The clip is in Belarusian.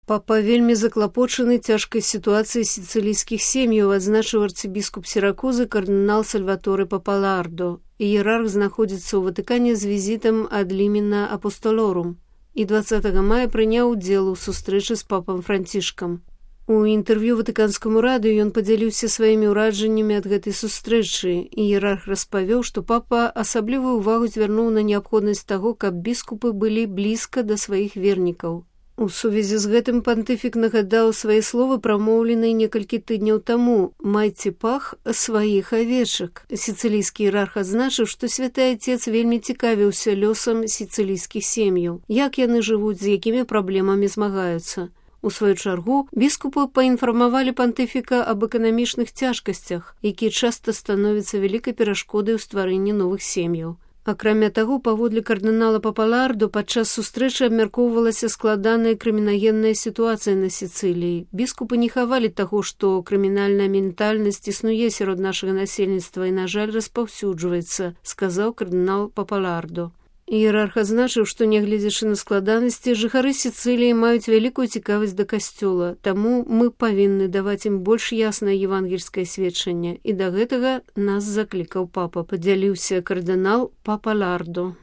Папа вельмі заклапочаны цяжкай сітуацыяй сіцылійскіх сем'яў, адзначыў арцыбіскуп Сіракузы кардынал Сальваторе Папалардо. Іерарх знаходзіцца ў Ватыкане з візітам ад Лімена Апостолорум і 20 мая прыняў удзел у сустрэчы з папам Францішкам. У інтэрв'ю ватыканскаму радыё ён падзяліўся сваімі ўражаннямі ад гэтай сустрэчы. Іерарх распавёў, што папа асаблівую ўвагу звярнуў на неабходнасць таго, каб біскупы былі блізка да сваіх вернікаў. У сувязі з гэтым пантыфік нагадаў свае словы, прамоўленыя некалькі тыдняў таму: «Майце пах сваіх авечак». Сіцылійскі іерарх адзначыў, што святы Отец вельмі цікавіўся лёсам сіцылійскіх сем'яў, як яны жывуць, з якімі праблемамі змагаюцца. У сваю чаргу, біскупы паінфармавалі пантыфіка аб эканамічных цяжкасцях, якія часта становяцца вялікай перашкодай у стварэнні новых сем'яў. Акрамя таго, паводле кардынала Папалардо, падчас сустрэчы абмяркоўвалася складаная крымінагенная сітуацыя на Сіцыліі. Біскупы не хавалі таго, што крымінальная ментальнасць існуе сярод нашага насельніцтва і, на жаль, распаўсюджваецца, сказаў кардынал Папалардо. Іерарх адзначыў, што, нягледзячы на складанасці, жыхары Сіцыліі маюць вялікую цікавасць да касцёла, таму мы павінны даваць ім больш яснае евангельскае сведчанне, і да гэтага нас заклікаў папа, падзяліўся кардынал Папалардо.